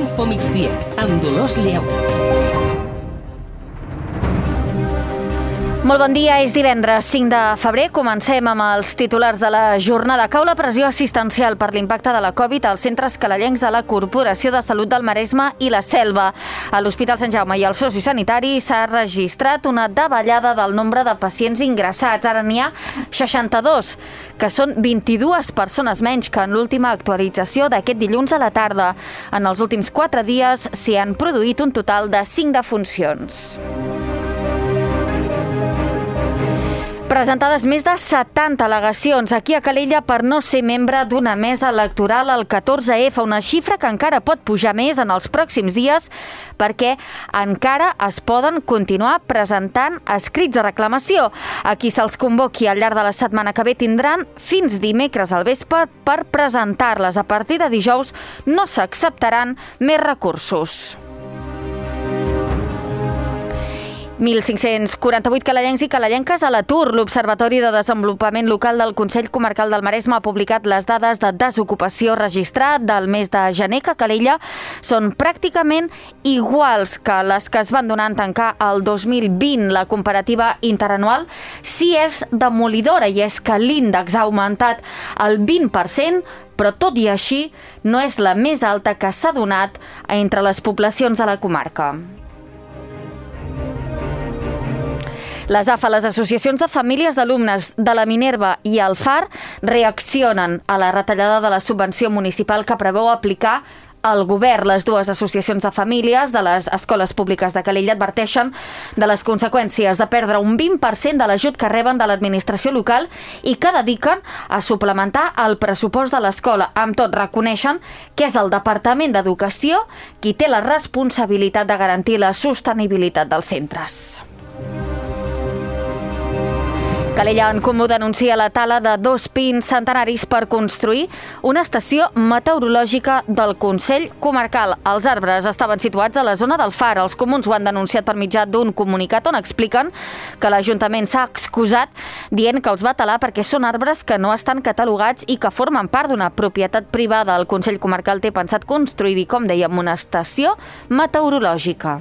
Info Migdia, amb Dolors Lleó. Molt bon dia, és divendres 5 de febrer. Comencem amb els titulars de la jornada. Cau la pressió assistencial per l'impacte de la Covid als centres calallencs de la Corporació de Salut del Maresme i la Selva. A l'Hospital Sant Jaume i al sociosanitari s'ha registrat una davallada del nombre de pacients ingressats. Ara n'hi ha 62, que són 22 persones menys que en l'última actualització d'aquest dilluns a la tarda. En els últims 4 dies s'hi han produït un total de 5 defuncions. Presentades més de 70 al·legacions aquí a Calella per no ser membre d'una mesa electoral al 14F, una xifra que encara pot pujar més en els pròxims dies perquè encara es poden continuar presentant escrits de reclamació. A qui se'ls convoqui al llarg de la setmana que ve tindran fins dimecres al vespre per presentar-les. A partir de dijous no s'acceptaran més recursos. 1.548 calellencs i calellenques a l'atur. L'Observatori de Desenvolupament Local del Consell Comarcal del Maresme ha publicat les dades de desocupació registrat del mes de gener, que a Calella són pràcticament iguals que les que es van donar en tancar el 2020. La comparativa interanual sí és demolidora, i és que l'índex ha augmentat el 20%, però tot i així no és la més alta que s'ha donat entre les poblacions de la comarca. Les AFA, les associacions de famílies d'alumnes de la Minerva i el FAR, reaccionen a la retallada de la subvenció municipal que preveu aplicar el govern. Les dues associacions de famílies de les escoles públiques de Calella adverteixen de les conseqüències de perdre un 20% de l'ajut que reben de l'administració local i que dediquen a suplementar el pressupost de l'escola. Amb tot, reconeixen que és el Departament d'Educació qui té la responsabilitat de garantir la sostenibilitat dels centres. Calella en Comú denuncia la tala de 2 pins centenaris per construir una estació meteorològica del Consell Comarcal. Els arbres estaven situats a la zona del Far. Els comuns ho han denunciat per mitjà d'un comunicat on expliquen que l'Ajuntament s'ha excusat dient que els va talar perquè són arbres que no estan catalogats i que formen part d'una propietat privada. El Consell Comarcal té pensat construir-hi, com dèiem, una estació meteorològica.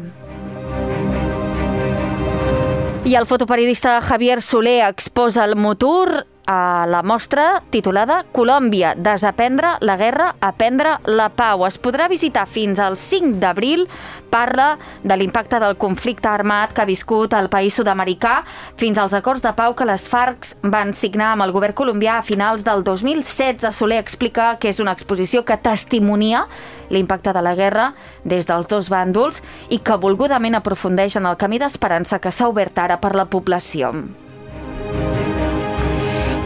I el fotoperiodista Javier Soler exposa el Motur a la mostra titulada Colòmbia, desaprendre la guerra, aprendre la pau. Es podrà visitar fins al 5 d'abril. Parla de l'impacte del conflicte armat que ha viscut el país sud-americà fins als acords de pau que les FARC van signar amb el govern colombià a finals del 2016. Soler explica que és una exposició que testimonia l'impacte de la guerra des dels dos bàndols i que volgudament aprofundeix en el camí d'esperança que s'ha obert ara per la població.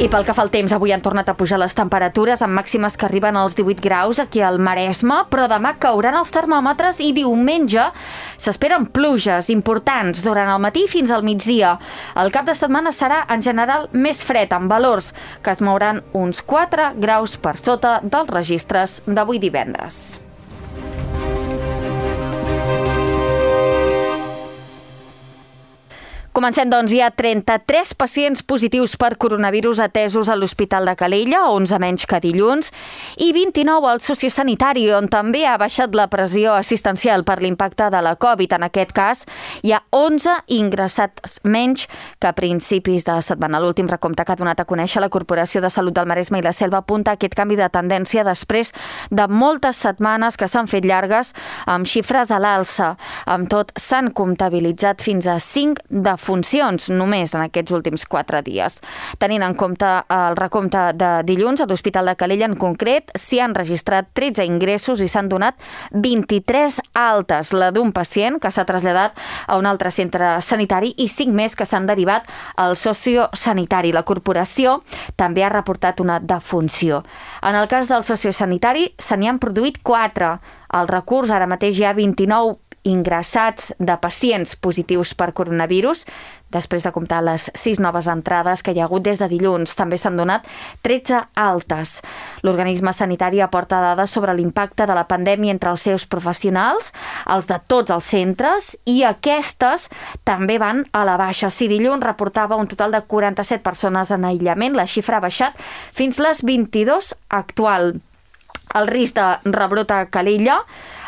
I pel que fa al temps, avui han tornat a pujar les temperatures amb màximes que arriben als 18 graus aquí al Maresme, però demà cauran els termòmetres i diumenge s'esperen pluges importants durant el matí fins al migdia. El cap de setmana serà en general més fred, amb valors que es mouran uns 4 graus per sota dels registres d'avui divendres. Comencem, doncs. Hi ha 33 pacients positius per coronavirus atesos a l'Hospital de Calella, 11 menys que dilluns, i 29 al sociosanitari, on també ha baixat la pressió assistencial per l'impacte de la Covid. En aquest cas, hi ha 11 ingressats menys que a principis de setmana. L'últim recompte que ha donat a conèixer la Corporació de Salut del Maresme i la Selva apunta aquest canvi de tendència després de moltes setmanes que s'han fet llargues amb xifres a l'alça. Amb tot, s'han comptabilitzat fins a 5 defuncions només en aquests últims 4 dies. Tenint en compte el recompte de dilluns, a l'Hospital de Calella en concret s'hi han registrat 13 ingressos i s'han donat 23 altes, la d'un pacient que s'ha traslladat a un altre centre sanitari i 5 més que s'han derivat al sociosanitari. La corporació també ha reportat una defunció. En el cas del sociosanitari se n'hi han produït 4. Al recurs ara mateix hi ha 29 ingressats de pacients positius per coronavirus, després de comptar les 6 noves entrades que hi ha hagut des de dilluns. També s'han donat 13 altes. L'organisme sanitari aporta dades sobre l'impacte de la pandèmia entre els seus professionals, els de tots els centres, i aquestes també van a la baixa. Si dilluns reportava un total de 47 persones en aïllament, la xifra ha baixat fins les 22 actual. El risc de rebrot a Calella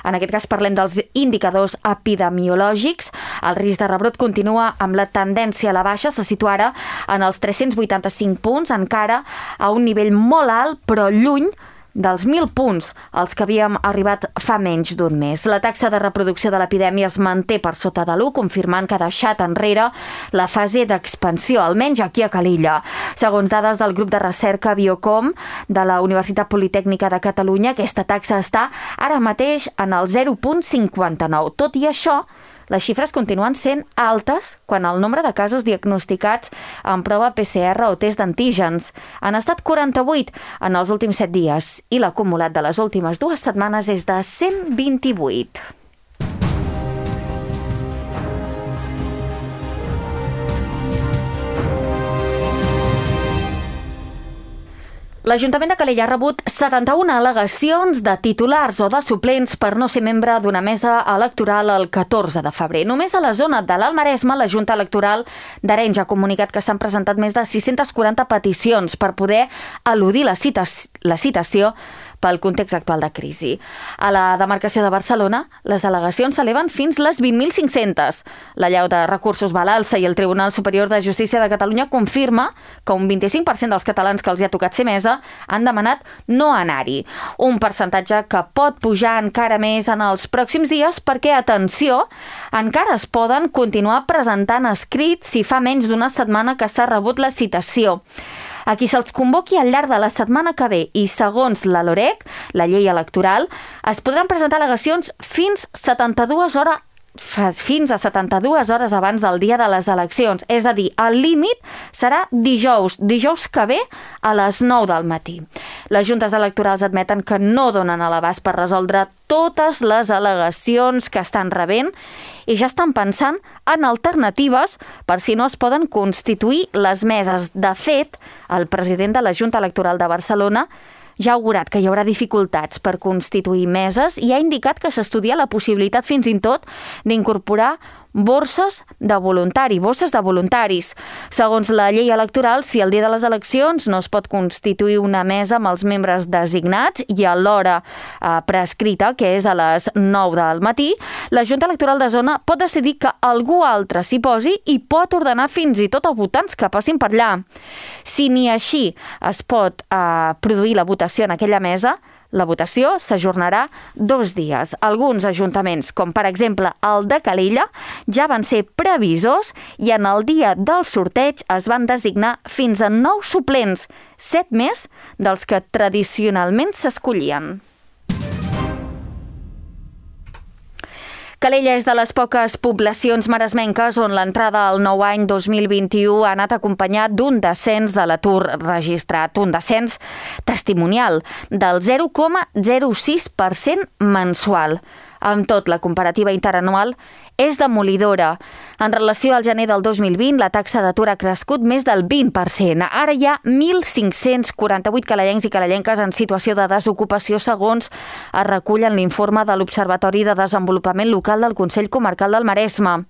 En aquest cas parlem dels indicadors epidemiològics. El risc de rebrot continua amb la tendència a la baixa, se situa ara en els 385 punts, encara a un nivell molt alt, però lluny dels 1.000 punts als que havíem arribat fa menys d'un mes. La taxa de reproducció de l'epidèmia es manté per sota de l'1, confirmant que ha deixat enrere la fase d'expansió, almenys aquí a Calella. Segons dades del grup de recerca Biocom de la Universitat Politècnica de Catalunya, aquesta taxa està ara mateix en el 0,59. Tot i això, les xifres continuen sent altes quan el nombre de casos diagnosticats amb prova PCR o test d'antígens han estat 48 en els últims 7 dies i l'acumulat de les últimes 2 setmanes és de 128. L'Ajuntament de Calella ha rebut 71 al·legacions de titulars o de suplents per no ser membre d'una mesa electoral el 14 de febrer. Només a la zona de l'Alt Maresme, la Junta Electoral d'Arenys ha comunicat que s'han presentat més de 640 peticions per poder eludir la citació pel context actual de crisi. A la demarcació de Barcelona, les al·legacions s'eleven fins les 20.500. La llau de recursos va a l'alça i el Tribunal Superior de Justícia de Catalunya confirma que un 25% dels catalans que els hi ha tocat ser mesa han demanat no anar-hi. Un percentatge que pot pujar encara més en els pròxims dies perquè, atenció, encara es poden continuar presentant escrits si fa menys d'una setmana que s'ha rebut la citació. A qui se'ls convoqui al llarg de la setmana que ve i segons la LOREC, la llei electoral, es podran presentar al·legacions fins a 72 hores abans del dia de les eleccions. És a dir, el límit serà dijous que ve a les 9 del matí. Les juntes electorals admeten que no donen a l'abast per resoldre totes les al·legacions que estan rebent i ja estan pensant en alternatives per si no es poden constituir les meses. De fet, el president de la Junta Electoral de Barcelona ja ha augurat que hi haurà dificultats per constituir meses i ha indicat que s'estudia la possibilitat fins i tot d'incorporar bosses de voluntaris. Segons la llei electoral, si el dia de les eleccions no es pot constituir una mesa amb els membres designats i a l'hora prescrita, que és a les 9 del matí, la Junta Electoral de Zona pot decidir que algú altre s'hi posi i pot ordenar fins i tot a votants que passin per allà. Si ni així es pot produir la votació en aquella mesa, la votació s'ajornarà 2 dies. Alguns ajuntaments, com per exemple el de Calella, ja van ser previsors i en el dia del sorteig es van designar fins a 9 suplents, 7 més dels que tradicionalment s'escollien. Calella és de les poques poblacions maresmenques on l'entrada al nou any 2021 ha anat acompanyat d'un descens de l'atur registrat, un descens testimonial del 0,06% mensual. Amb tot, la comparativa interanual és demolidora. En relació al gener del 2020, la taxa d'atur ha crescut més del 20%. Ara hi ha 1.548 calellencs i calellenques en situació de desocupació, segons es recull en l'informe de l'Observatori de Desenvolupament Local del Consell Comarcal del Maresme.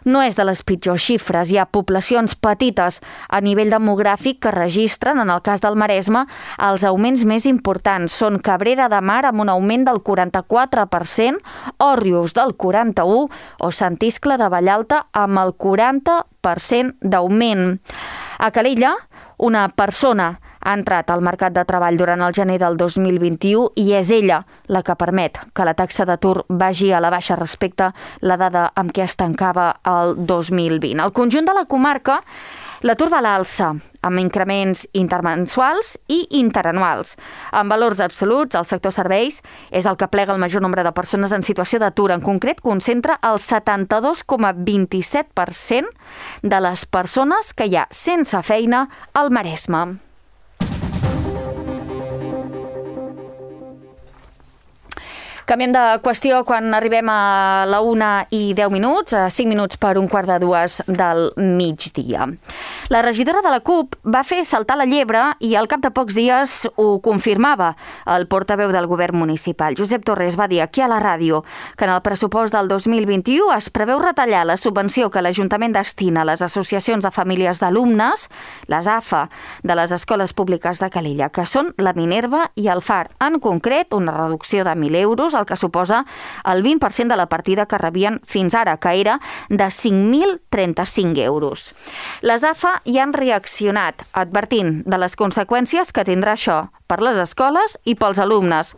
No és de les pitjors xifres. Hi ha poblacions petites a nivell demogràfic que registren, en el cas del Maresme, els augments més importants. Són Cabrera de Mar amb un augment del 44%, Òrrius del 41% o Sant Iscle de Vallalta amb el 40% d'augment. A Calella, una persona ha entrat al mercat de treball durant el gener del 2021 i és ella la que permet que la taxa d'atur vagi a la baixa respecte a la dada amb què es tancava el 2020. Al conjunt de la comarca, l'atur va a l'alça, amb increments intermensuals i interanuals. En valors absoluts, el sector serveis és el que plega el major nombre de persones en situació d'atur. En concret, concentra el 72,27% de les persones que hi ha sense feina al Maresme. Canviem de qüestió quan arribem a la 1:10, a 5 minuts per 1:45 del migdia. La regidora de la CUP va fer saltar la llebre i al cap de pocs dies ho confirmava el portaveu del govern municipal. Josep Torres va dir aquí a la ràdio que en el pressupost del 2021 es preveu retallar la subvenció que l'Ajuntament destina a les associacions de famílies d'alumnes, les AFA, de les escoles públiques de Calella, que són la Minerva i el Far. En concret, una reducció de 1.000 euros el que suposa el 20% de la partida que rebien fins ara, que era de 5.035 euros. Les AFA hi han reaccionat, advertint de les conseqüències que tindrà això per les escoles i pels alumnes.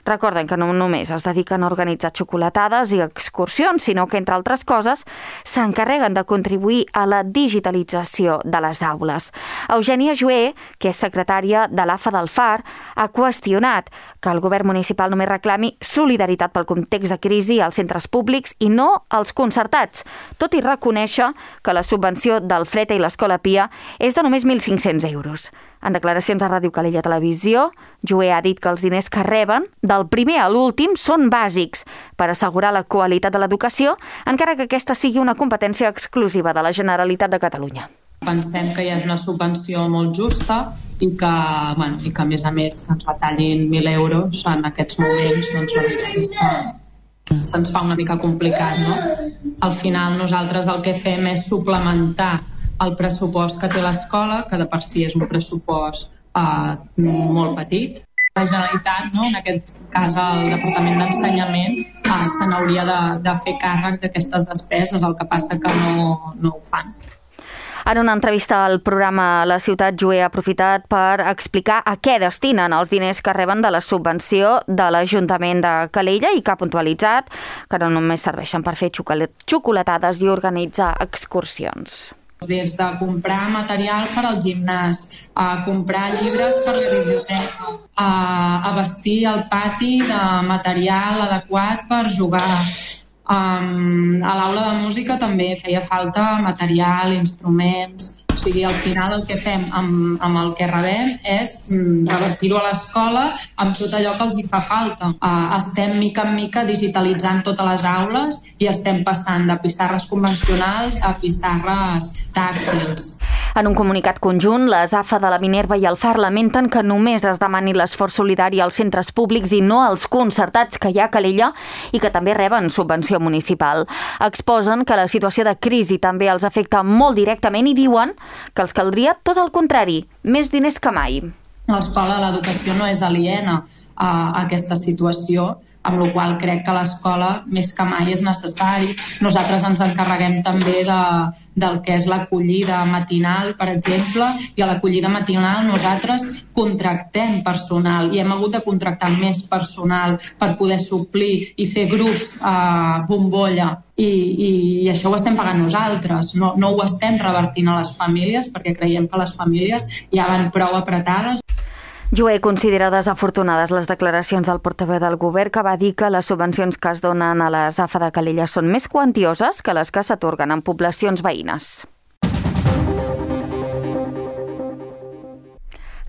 Recorden que no només es dediquen a organitzar xocolatades i excursions, sinó que, entre altres coses, s'encarreguen de contribuir a la digitalització de les aules. Eugènia Joé, que és secretària de l'AFA del Far, ha qüestionat que el govern municipal només reclami solidaritat pel context de crisi als centres públics i no als concertats, tot i reconèixer que la subvenció del Freta i l'Escola Pia és de només 1.500 euros. En declaracions a Ràdio Calella Televisió, Joé ha dit que els diners que reben, del primer a l'últim, són bàsics per assegurar la qualitat de l'educació, encara que aquesta sigui una competència exclusiva de la Generalitat de Catalunya. Pensem que ja és una subvenció molt justa i que a més ens retallin 1.000 euros en aquests moments, doncs la veritat és que se'ns fa una mica complicat, no? Al final nosaltres el que fem és suplementar el pressupost que té l'escola, que de per si és un pressupost molt petit. La Generalitat, en aquest cas el Departament d'Ensenyament, se n'hauria de fer càrrec d'aquestes despeses, el que passa que no ho fan. En una entrevista al programa La Ciutat, Joé ha aprofitat per explicar a què destinen els diners que reben de la subvenció de l'Ajuntament de Calella i que ha puntualitzat que no només serveixen per fer xocolatades i organitzar excursions. Des de comprar material per al gimnàs, a comprar llibres per la biblioteca, a vestir el pati de material adequat per jugar. A l'aula de música també feia falta material, instruments. O sigui, al final el que fem amb el que rebem és revertir-ho a l'escola amb tot allò que els hi fa falta. Estem mica en mica digitalitzant totes les aules i estem passant de pissarres convencionals a pissarres tàctils. En un comunicat conjunt, les AFA de la Minerva i el Far lamenten que només es demani l'esforç solidari als centres públics i no als concertats que hi ha a Calella i que també reben subvenció municipal. Exposen que la situació de crisi també els afecta molt directament i diuen que els caldria tot el contrari, més diners que mai. L'escola de l'educació no és aliena a aquesta situació, amb la qual crec que l'escola més que mai és necessari. Nosaltres ens encarreguem també del que és l'acollida matinal, per exemple, i a l'acollida matinal nosaltres contractem personal i hem hagut de contractar més personal per poder suplir i fer grups bombolla. I això ho estem pagant nosaltres, no ho estem revertint a les famílies perquè creiem que les famílies ja van prou apretades. Joé considera desafortunades les declaracions del portaveu del govern que va dir que les subvencions que es donen a les AFA de Calella són més quantioses que les que s'atorguen en poblacions veïnes.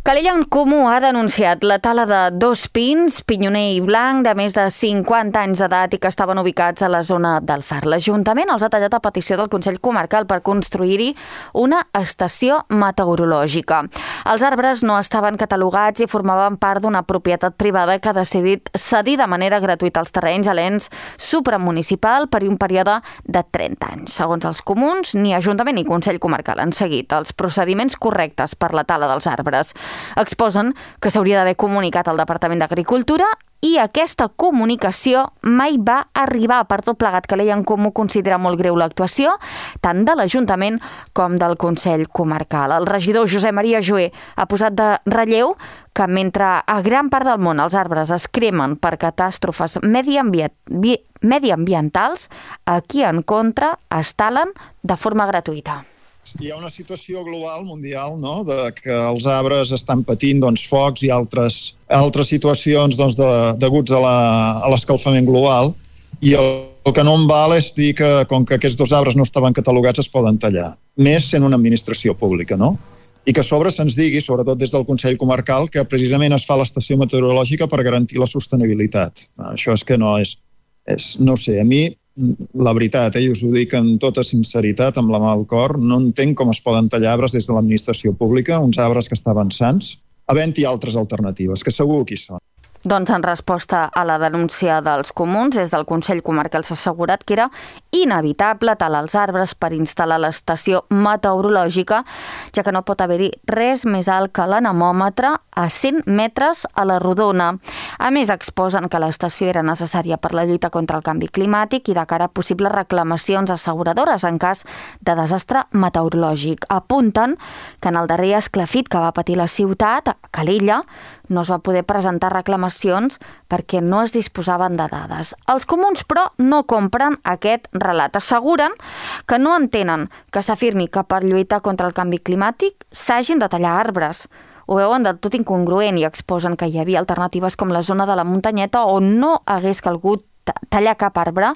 Calella en Comú ha denunciat la tala de 2 pins, pinyoner i blanc, de més de 50 anys d'edat i que estaven ubicats a la zona del Far. L'Ajuntament els ha tallat a petició del Consell Comarcal per construir-hi una estació meteorològica. Els arbres no estaven catalogats i formaven part d'una propietat privada que ha decidit cedir de manera gratuïta els terrenys a l'ens supramunicipal per un període de 30 anys. Segons els comuns, ni Ajuntament ni Consell Comarcal han seguit els procediments correctes per la tala dels arbres. Exposen que s'hauria d'haver comunicat al Departament d'Agricultura i aquesta comunicació mai va arribar. Per tot plegat, Calella en Comú considera molt greu l'actuació tant de l'Ajuntament com del Consell Comarcal. El regidor Josep Maria Joé ha posat de relleu que mentre a gran part del món els arbres es cremen per catàstrofes mediambientals, aquí en contra es talen de forma gratuïta. Hi ha una situació global, mundial, no?, de que els arbres estan patint focs i altres situacions deguts a l'escalfament global, i el que no em val és dir que com que aquests 2 arbres no estaven catalogats es poden tallar, més sent una administració pública, no? I que a sobre se'ns digui, sobretot des del Consell Comarcal, que precisament es fa l'estació meteorològica per garantir la sostenibilitat. Això és que no sé, a mi la veritat, i us ho dic amb tota sinceritat, amb la mà al cor, no entenc com es poden tallar arbres des de l'administració pública, uns arbres que estaven sans, havent-hi altres alternatives, que segur que hi són. Doncs en resposta a la denúncia dels comuns, des del Consell Comarcal s'ha assegurat que era inevitable talar els arbres per instal·lar l'estació meteorològica, ja que no pot haver-hi res més alt que l'anemòmetre a 100 metres a la rodona. A més, exposen que l'estació era necessària per la lluita contra el canvi climàtic i de cara a possibles reclamacions asseguradores en cas de desastre meteorològic. Apunten que en el darrer esclafit que va patir la ciutat, a Calella, no es va poder presentar reclamacions perquè no es disposaven de dades. Els comuns, però, no compren aquest relat. Asseguren que no entenen que s'afirmi que per lluitar contra el canvi climàtic s'hagin de tallar arbres. Ho veuen del tot incongruent i exposen que hi havia alternatives com la zona de la muntanyeta on no hagués calgut tallar cap arbre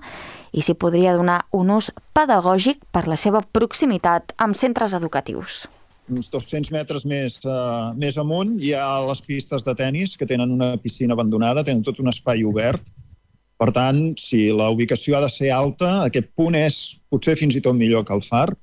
i s'hi podria donar un ús pedagògic per la seva proximitat amb centres educatius. Uns 200 metres més amunt hi ha les pistes de tennis que tenen una piscina abandonada, tenen tot un espai obert. Per tant, si la ubicació ha de ser alta, aquest punt és potser fins i tot millor que el far.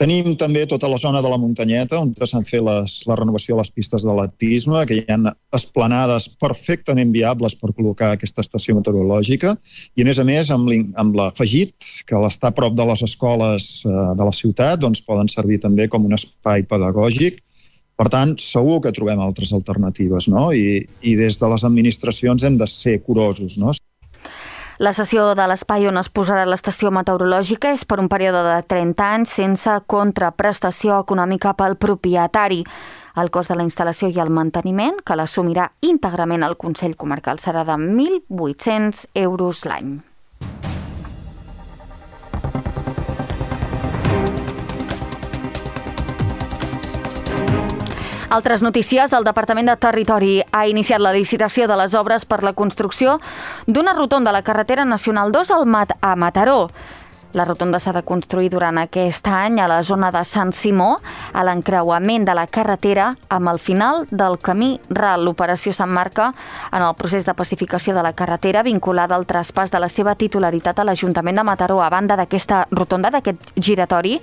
Tenim també tota la zona de la muntanyeta, on s'han fet la renovació de les pistes d'atletisme, que hi ha esplanades perfectament viables per col·locar aquesta estació meteorològica, i a més, amb l'afegit, que l'estar a prop de les escoles de la ciutat, doncs poden servir també com un espai pedagògic. Per tant, segur que trobem altres alternatives, no? I des de les administracions hem de ser curosos, no? La cessió de l'espai on es posarà l'estació meteorològica és per un període de 30 anys sense contraprestació econòmica pel propietari. El cost de la instal·lació i el manteniment, que l'assumirà íntegrament el Consell Comarcal, serà de 1.800 euros l'any. Altres notícies, el Departament de Territori ha iniciat la licitació de les obres per la construcció d'una rotonda a la carretera nacional 2 a Mataró. La rotonda s'ha de construir durant aquest any a la zona de Sant Simó, a l'encreuament de la carretera amb el final del camí ral. L'operació s'emmarca en el procés de pacificació de la carretera vinculada al traspàs de la seva titularitat a l'Ajuntament de Mataró. A banda d'aquesta rotonda, d'aquest giratori,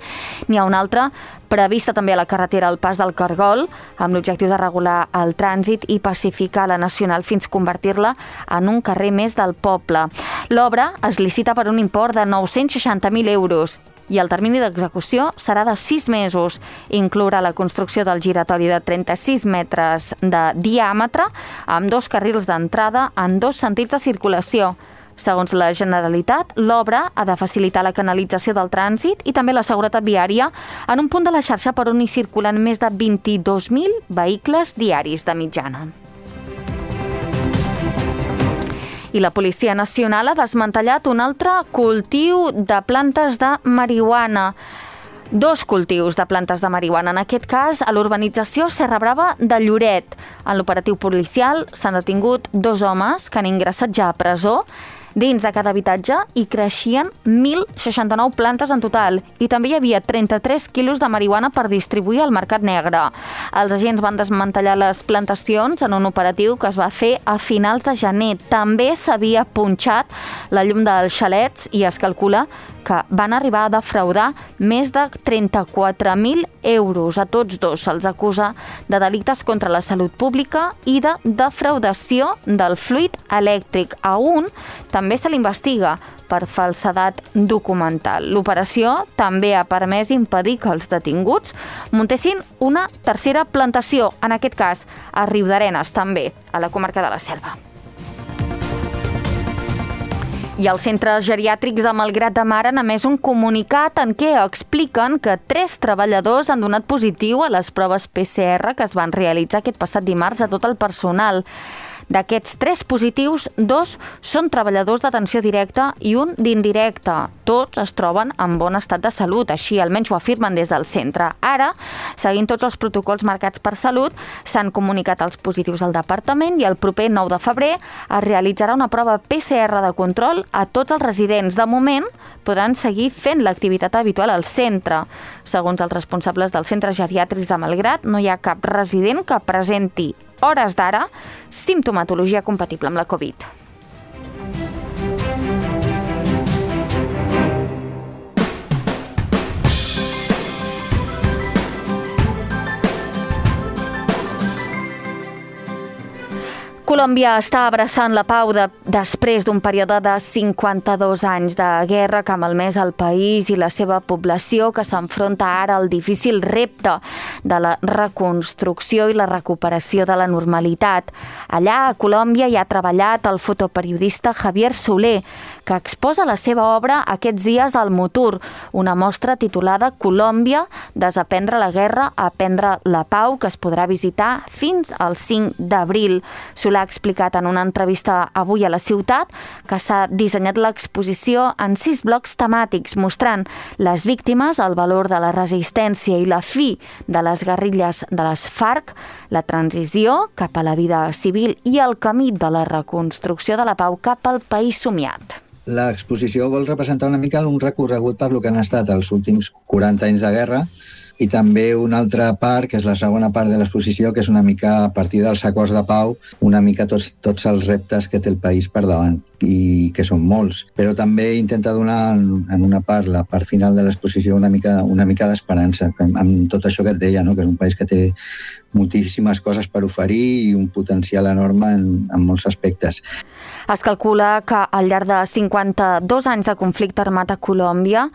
n'hi ha una altra prevista també a la carretera al Pas del Cargol, amb l'objectiu de regular el trànsit i pacificar la nacional fins convertir-la en un carrer més del poble. L'obra es licita per un import de 960.000 euros i el termini d'execució serà de 6 mesos. Inclourà la construcció del giratori de 36 metres de diàmetre amb 2 carrils d'entrada en 2 sentits de circulació. Segons la Generalitat, l'obra ha de facilitar la canalització del trànsit i també la seguretat viària en un punt de la xarxa per on hi circulen més de 22.000 vehicles diaris de mitjana. I la Policia Nacional ha desmantellat un altre cultiu de plantes de marihuana. 2 cultius de plantes de marihuana, en aquest cas a l'urbanització Serra Brava de Lloret. En l'operatiu policial s'han detingut 2 homes que han ingressat ja a presó. Dins de cada habitatge hi creixien 1.069 plantes en total i també hi havia 33 quilos de marihuana per distribuir al mercat negre. Els agents van desmantellar les plantacions en un operatiu que es va fer a finals de gener. També s'havia punxat la llum dels xalets i es calcula que van arribar a defraudar més de 34.000 euros. A tots 2 se'ls acusa de delictes contra la salut pública i de defraudació del fluid elèctric. A un també se l'investiga per falsedat documental. L'operació també ha permès impedir que els detinguts muntessin una tercera plantació, en aquest cas a Riudarenes, també, a la comarca de la Selva. I els centres geriàtrics de Malgrat de Mar han emès un comunicat en què expliquen que 3 treballadors han donat positiu a les proves PCR que es van realitzar aquest passat dimarts a tot el personal. D'aquests 3 positius, 2 són treballadors d'atenció directa i un d'indirecta. Tots es troben en bon estat de salut, així almenys ho afirmen des del centre. Ara, seguint tots els protocols marcats per Salut, s'han comunicat els positius al departament i el proper 9 de febrer es realitzarà una prova PCR de control a tots els residents. De moment, podran seguir fent l'activitat habitual al centre. Segons els responsables dels centres geriàtrics de Malgrat, no hi ha cap resident que presenti hores d'ara, simptomatologia compatible amb la Covid. Colòmbia està abraçant la pau després d'un període de 52 anys de guerra que ha malmès el país i la seva població, que s'enfronta ara al difícil repte de la reconstrucció i la recuperació de la normalitat. Allà, a Colòmbia, hi ha treballat el fotoperiodista Javier Soler, que exposa la seva obra aquests dies al Mutur, una mostra titulada Colòmbia, desaprendre la guerra, aprendre la pau, que es podrà visitar fins al 5 d'abril. Soler ha explicat en una entrevista avui a La Ciutat que s'ha dissenyat l'exposició en 6 blocs temàtics, mostrant les víctimes, el valor de la resistència i la fi de les guerrilles de les FARC, la transició cap a la vida civil i el camí de la reconstrucció de la pau cap al país somiat. L'exposició vol representar una mica un recorregut per lo que han estat els últims 40 anys de guerra i també una altra part, que és la segona part de l'exposició, que és una mica a partir dels acords de pau, una mica tots els reptes que té el país per davant, i que són molts. Però també intenta donar en una part, la part final de l'exposició, una mica d'esperança, amb tot això que et deia, no? Que és un país que té moltíssimes coses per oferir i un potencial enorme en molts aspectes. Es calcula que al llarg de 52 anys de conflicte armat a Colòmbia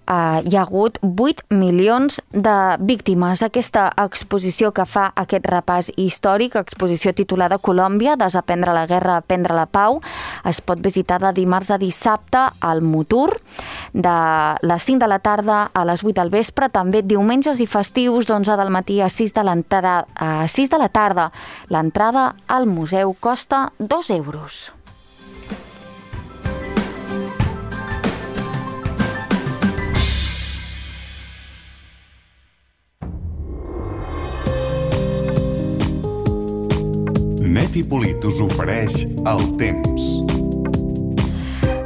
hi ha hagut 8 milions de víctimes. Aquesta exposició que fa aquest repàs històric, exposició titulada Colòmbia, desaprendre la guerra, aprendre la pau, es pot visitar de dimarts a dissabte al Mutur, de les 5 de la tarda a les 8 del vespre, també diumenges i festius d'11 del matí a 6 de la tarda. L'entrada al museu costa 2 euros. Net i Polit us ofereix el temps.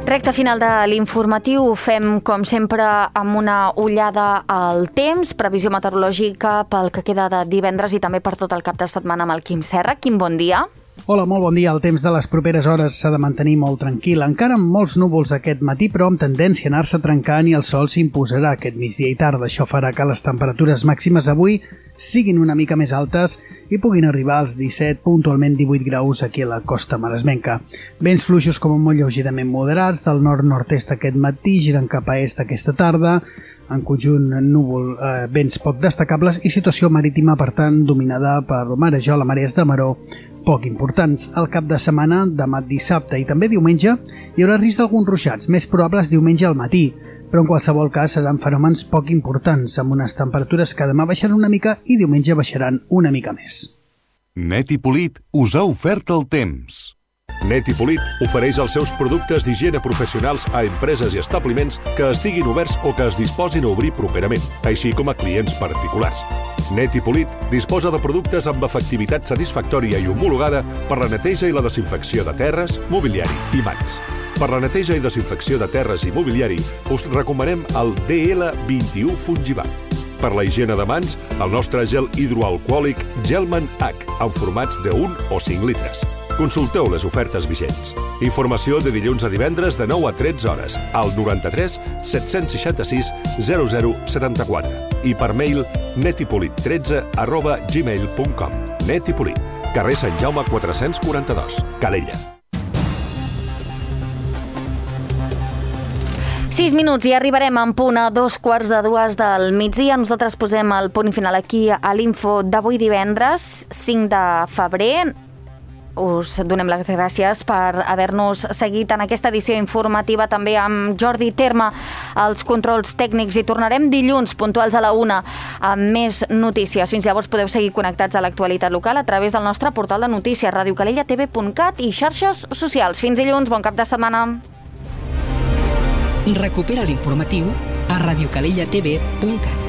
Recte final de l'informatiu, ho fem com sempre amb una ullada al temps, previsió meteorològica pel que queda de divendres i també per tot el cap de setmana amb el Quim Serra. Quim, bon dia. Hola, molt bon dia. El temps de les properes hores s'ha de mantenir molt tranquil, encara amb molts núvols aquest matí, però amb tendència a anar-se trencant i el sol s'imposarà aquest migdia i tarda. Això farà que les temperatures màximes avui siguin una mica més altes i puguin arribar als 17, puntualment 18 graus aquí a la costa maresmenca. Vents fluixos com molt lleugerament moderats, del nord-nord-est aquest matí, girant cap a est aquesta tarda, en conjunt núvol, vents poc destacables i situació marítima, per tant, dominada per marejol, marees de maró poc importants. Al cap de setmana, demà dissabte i també diumenge, hi haurà risc d'alguns ruixats, més probables diumenge al matí, però en qualsevol cas seran fenòmens poc importants, amb unes temperatures que demà baixaran una mica i diumenge baixaran una mica més. Net i Polit us ha ofert el temps. Net i Polit ofereix els seus productes d'higiene professionals a empreses i establiments que estiguin oberts o que es disposin a obrir properament, així com a clients particulars. Net i Polit disposa de productes amb efectivitat satisfactòria i homologada per la neteja i la desinfecció de terres, mobiliari i mans. Per la neteja i desinfecció de terres i mobiliari us recomanem el DL21 Fungivac. Per la higiene de mans, el nostre gel hidroalcohòlic Gelman H, en formats de 1 o 5 litres. Consulteu les ofertes vigents. Informació de dilluns a divendres de 9 a 13 hores al 93 766 0074 i per mail netipolit13@gmail.com. Net i Polit, carrer Sant Jaume 442, Calella. 6 minuts i arribarem en punt a 2:45 del migdia. Nosaltres posem el punt final aquí a l'info d'avui divendres, 5 de febrer. Us donem les gràcies per haver-nos seguit en aquesta edició informativa, també amb Jordi Terme als controls tècnics, i tornarem dilluns puntuals a la 1 amb més notícies. Fins llavors podeu seguir connectats a l'actualitat local a través del nostre portal de notícies radiocalellatv.cat i xarxes socials. Fins dilluns, bon cap de setmana. Recupera l'informatiu a radiocalellatv.cat.